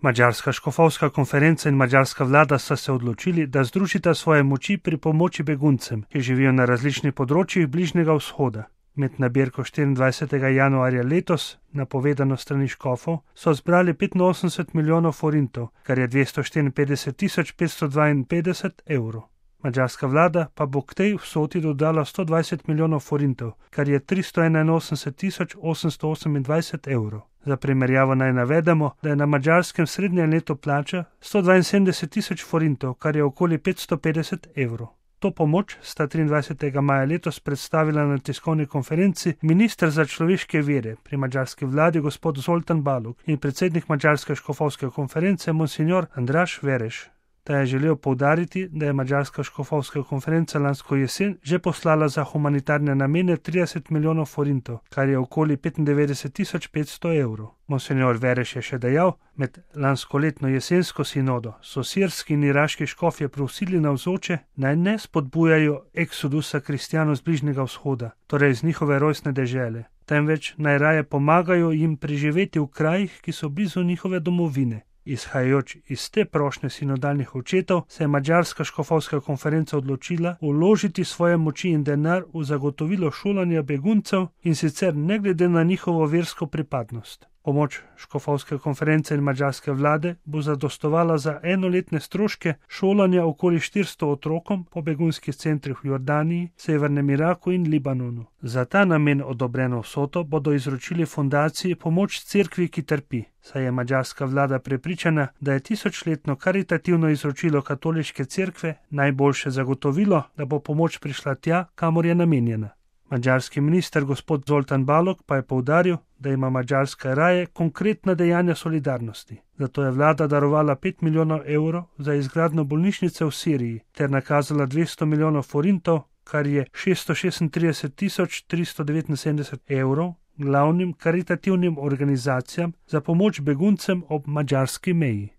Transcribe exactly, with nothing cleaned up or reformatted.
Madžarska škofovska konferenca in madžarska vlada sta se odločili, da združita svoje moči pri pomoči beguncem, ki živijo na različnih področjih Bližnjega vzhoda. Med nabirko štiriindvajsetega januarja letos, napovedano strani škofov, so zbrali petinosemdeset milijonov forintov, kar je dvesto štiriinpetdeset tisoč petsto dvainpetdeset evrov. Madžarska vlada pa bo k tej vsoti dodala sto dvajset milijonov forintov, kar je tristo enainosemdeset tisoč osemsto osemindvajset evrov. Za primerjavo naj navedemo, da je na Madžarskem srednja neto plača sto dvainsedemdeset tisoč forintov, kar je okoli petsto petdeset evrov. To pomoč sta triindvajsetega maja letos predstavila na tiskovni konferenci minister za človeške vire pri madžarski vladi gospod Zoltan Balog in predsednik Madžarske škofovske konference monsignor Andraž Vereš. Ta je želel poudariti, da je Madžarska škofovska konferenca lansko jesen že poslala za humanitarne namene trideset milijonov forintov, kar je okoli petindevetdeset tisoč petsto evrov. Monsignor Vereš je še dejal, med lanskoletno jesensko sinodo so sirski in iraški škofje prosili navzoče, naj ne spodbujajo eksodusa kristjanov z Bližnjega vzhoda, torej z njihove rojstne dežele, temveč naj raje pomagajo jim preživeti v krajih, ki so blizu njihove domovine. Izhajajoč iz te prošnje sinodalnih očetov se je Madžarska škofovska konferenca odločila vložiti svoje moči in denar v zagotovilo šolanja beguncev, in sicer ne glede na njihovo versko pripadnost. Pomoč škofovske konference in madžarske vlade bo zadostovala za enoletne stroške šolanja okoli štiristo otrokom po begunskih centrih v Jordaniji, Severnem Iraku in Libanonu. Za ta namen odobreno vsoto bodo izročili fundaciji Pomoč cerkvi, ki trpi, saj je madžarska vlada prepričana, da je tisočletno karitativno izročilo katoliške cerkve najboljše zagotovilo, da bo pomoč prišla tja, kamor je namenjena. Madžarski minister gospod Zoltan Balog pa je poudaril, da ima Madžarska raje konkretna dejanja solidarnosti. Zato je vlada darovala pet milijonov evrov za izgradnjo bolnišnice v Siriji ter nakazala dvesto milijonov forintov, kar je šeststo šestintrideset tisoč tristo devetinsedemdeset evrov, glavnim karitativnim organizacijam za pomoč beguncem ob madžarski meji.